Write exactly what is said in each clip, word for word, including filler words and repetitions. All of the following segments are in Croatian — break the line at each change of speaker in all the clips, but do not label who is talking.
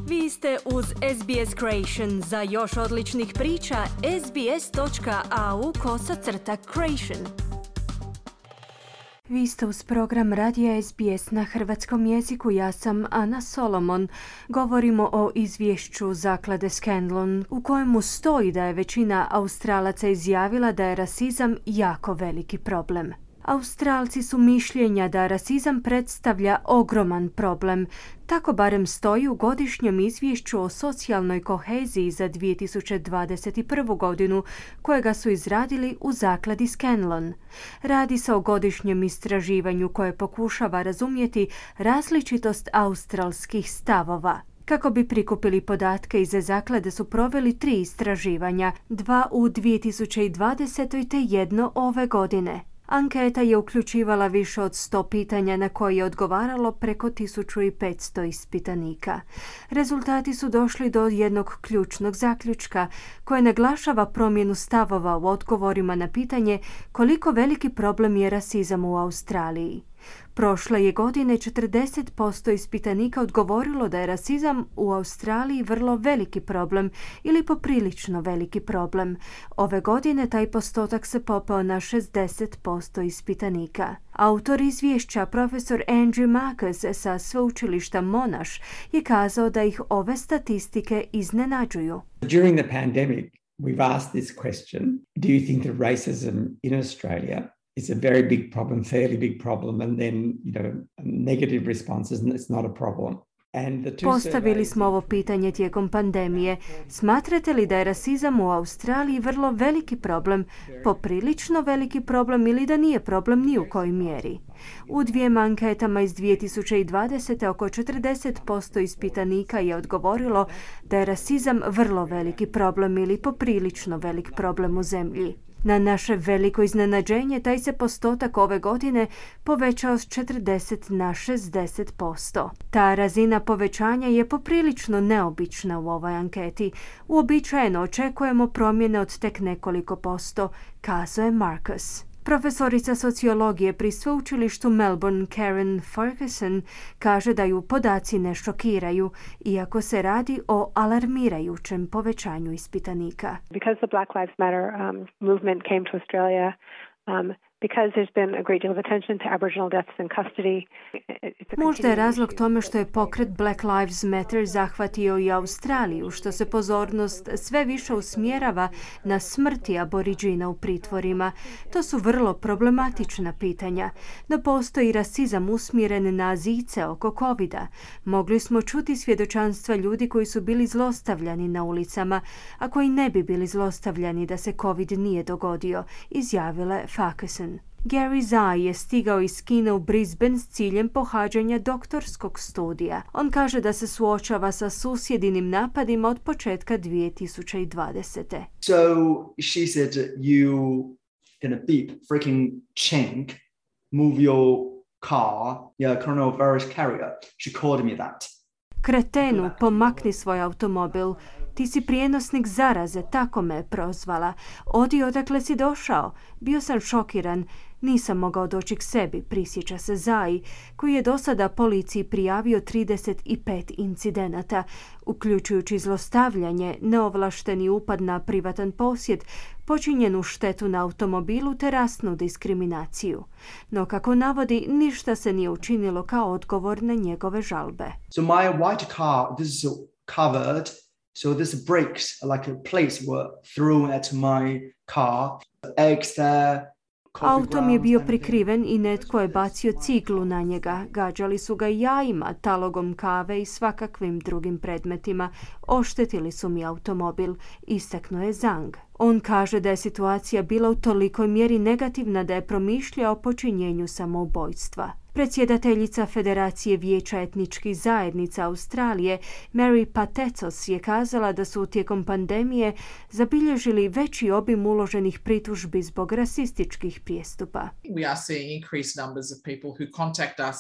Vi ste uz S B S Creation. Za još odličnih priča, sbs.au kosacrta Creation. Vi ste uz program Radija S B S na hrvatskom jeziku. Ja sam Ana Solomon. Govorimo o izvješću zaklade Scanlon u kojemu stoji da je većina Australaca izjavila da je rasizam jako veliki problem. Australci su mišljenja da rasizam predstavlja ogroman problem. Tako barem stoji u godišnjem izvješću o socijalnoj koheziji za dvije tisuće dvadeset prvu. godinu, kojega su izradili u zakladi Scanlon. Radi se o godišnjem istraživanju koje pokušava razumjeti različitost australskih stavova. Kako bi prikupili podatke iz zaklade su proveli tri istraživanja, dva u dvije tisuće dvadesetoj. te jedno ove godine. Anketa je uključivala više od sto pitanja na koje je odgovaralo preko tisuću petsto ispitanika. Rezultati su došli do jednog ključnog zaključka koje naglašava promjenu stavova u odgovorima na pitanje koliko veliki problem je rasizam u Australiji. Prošle je godine četrdeset posto ispitanika odgovorilo da je rasizam u Australiji vrlo veliki problem ili poprilično veliki problem. Ove godine taj postotak se popeo na šezdeset posto ispitanika. Autor izvješća, profesor Andrew Marcus sa sveučilišta Monash, je kazao da ih ove statistike iznenađuju.
During the pandemic, we've asked this question: do you think that racism in Australia is a very big problem, fairly big problem, and then, you know, negative responses, and it's not a problem.
Postavili smo ovo pitanje tijekom pandemije. Smatrate li da je rasizam u Australiji vrlo veliki problem, poprilično veliki problem ili da nije problem ni u kojoj mjeri? U dvijema anketama iz dvije tisuće dvadesete. oko četrdeset posto ispitanika je odgovorilo da je rasizam vrlo veliki problem ili poprilično velik problem u zemlji. Na naše veliko iznenađenje, taj se postotak ove godine povećao s četrdeset na šezdeset posto. Ta razina povećanja je poprilično neobična u ovoj anketi. Uobičajeno očekujemo promjene od tek nekoliko posto, kazao je Marcus. Profesorica sociologije pri sveučilištu Melbourne Karen Ferguson kaže da ju podaci ne šokiraju, iako se radi o alarmirajućem povećanju ispitanika.
Because the Black Lives Matter um, movement came to Australia, um, because there's been a great deal of attention to Aboriginal deaths in custody.
Možda je razlog tome što je pokret Black Lives Matter zahvatio i Australiju, što se pozornost sve više usmjerava na smrti Aboriđina u pritvorima. To su vrlo problematična pitanja. No postoji rasizam usmjeren na Azijce oko covida. Mogli smo čuti svjedočanstva ljudi koji su bili zlostavljani na ulicama, a koji ne bi bili zlostavljani da se covid nije dogodio, izjavila je Ferguson. Gary Zai je stigao iz Kine u Brisbane s ciljem pohađanja doktorskog studija. On kaže da se suočava sa susjedinim napadima od početka dvije tisuće dvadesete.
So she said, you gonna beep, freaking chink, move your car, your coronavirus carrier. She called me that.
Kretenu, pomakni svoj automobil. Ti si prijenosnik zaraze, tako me je prozvala. Odi odakle si došao. Bio sam šokiran. Nisam mogao doći k sebi, prisjeća se Zai, koji je do sada policiji prijavio trideset pet incidenata, uključujući zlostavljanje, neovlašteni upad na privatan posjed, počinjenu štetu na automobilu te rasnu diskriminaciju. No, kako navodi, ništa se nije učinilo kao odgovor na njegove žalbe.
So my white car, this is covered, so this brakes, like plates were thrown at my car, eggs there.
Auto mi je bio prikriven i netko je bacio ciglu na njega. Gađali su ga jajima, talogom kave i svakakvim drugim predmetima. Oštetili su mi automobil, istaknuo je Zhang. On kaže da je situacija bila u tolikoj mjeri negativna da je promišljao o počinjenju samoubojstva. Predsjedateljica Federacije vijeća etničkih zajednica Australije, Mary Patecos, je kazala da su tijekom pandemije zabilježili veći obim uloženih pritužbi zbog rasističkih prijestupa.
We are seeing increased numbers of people who contact us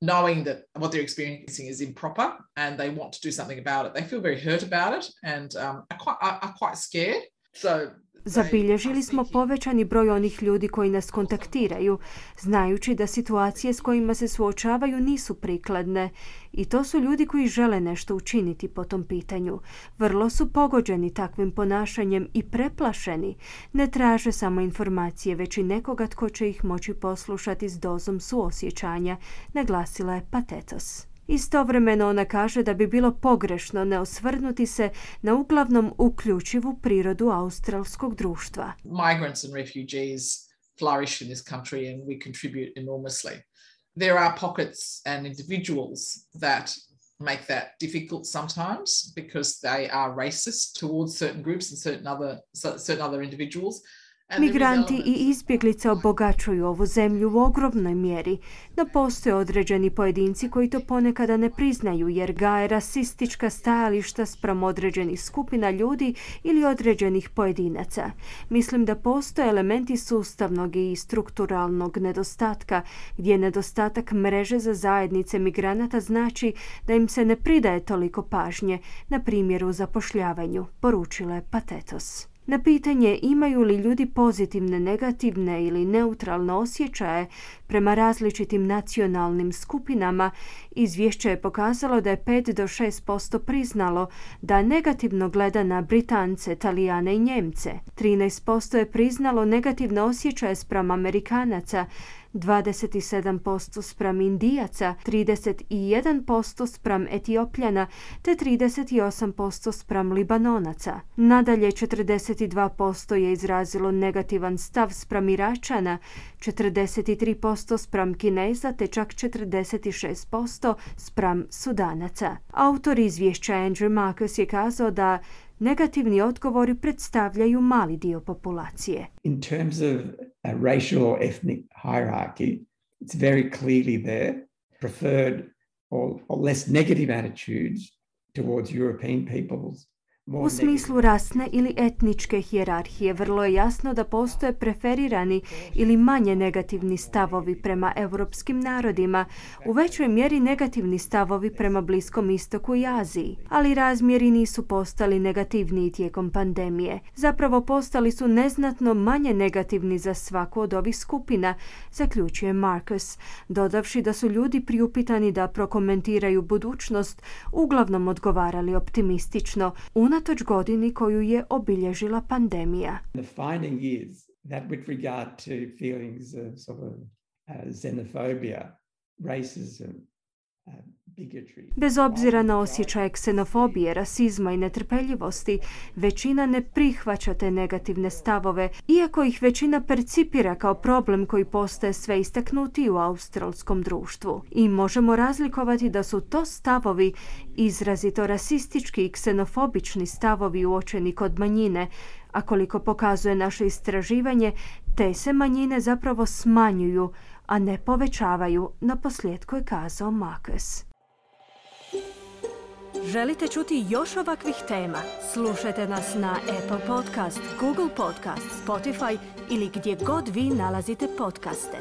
knowing that what they're experiencing is improper and they want to do something about it. They feel very hurt about it and um, are, quite, are, are quite scared. So
Zabilježili smo povećani broj onih ljudi koji nas kontaktiraju, znajući da situacije s kojima se suočavaju nisu prikladne. I to su ljudi koji žele nešto učiniti po tom pitanju. Vrlo su pogođeni takvim ponašanjem i preplašeni. Ne traže samo informacije, već i nekoga tko će ih moći poslušati s dozom suosjećanja, naglasila je Patetos. Istovremeno ona kaže da bi bilo pogrešno ne osvrnuti se na uglavnom uključivu prirodu australskog društva.
Migrants and refugees flourish in this country and we contribute enormously. There are pockets and individuals that make that difficult sometimes because they are racist towards certain groups and certain other, certain other individuals.
Migranti i izbjeglice obogaćuju ovu zemlju u ogromnoj mjeri, no postoje određeni pojedinci koji to ponekada ne priznaju jer gaje rasistička stajališta spram određenih skupina ljudi ili određenih pojedinaca. Mislim da postoje elementi sustavnog i strukturalnog nedostatka, gdje nedostatak mreže za zajednice migranata znači da im se ne pridaje toliko pažnje, na primjer u zapošljavanju, poručila je Patetos. Na pitanje imaju li ljudi pozitivne, negativne ili neutralne osjećaje prema različitim nacionalnim skupinama, izvješće je pokazalo da je pet do šest posto priznalo da negativno gleda na Britance, Talijane i Njemce. trinaest posto je priznalo negativne osjećaje spram Amerikanaca, dvadeset sedam posto spram Indijaca, trideset jedan posto spram Etiopljana te trideset osam posto spram Libanonaca. Nadalje, četrdeset dva posto je izrazilo negativan stav spram Iračana, četrdeset tri posto spram Kineza te čak četrdeset šest posto spram Sudanaca. Autor izvješća Andrew Marcus je kazao da negativni odgovori predstavljaju mali dio populacije.
In terms of a racial or ethnic hierarchy, it's very clearly there preferred or, or less negative attitudes towards European peoples.
U smislu rasne ili etničke hijerarhije vrlo je jasno da postoje preferirani ili manje negativni stavovi prema europskim narodima, u većoj mjeri negativni stavovi prema Bliskom istoku i Aziji, ali razmjeri nisu postali negativniji tijekom pandemije. Zapravo postali su neznatno manje negativni za svaku od ovih skupina, zaključuje Marcus, dodavši da su ljudi priupitani da prokomentiraju budućnost uglavnom odgovarali optimistično, unatoč godini koju je obilježila pandemija.
The finding is that with regard to feelings of sort of uh, xenophobia, racism, uh, bigotry.
Bez obzira na osjećaje ksenofobije, rasizma i netrpeljivosti, većina ne prihvaća te negativne stavove, iako ih većina percipira kao problem koji postaje sve istaknutiji u australskom društvu. I možemo razlikovati da su to stavovi izrazito rasistički i ksenofobični stavovi uočeni kod manjine, a koliko pokazuje naše istraživanje, te se manjine zapravo smanjuju, a ne povećavaju, naposljetku je kazao Marcus. Želite čuti još ovakvih tema? Slušajte nas na Apple Podcast, Google Podcast, Spotify ili gdje god vi nalazite podcaste.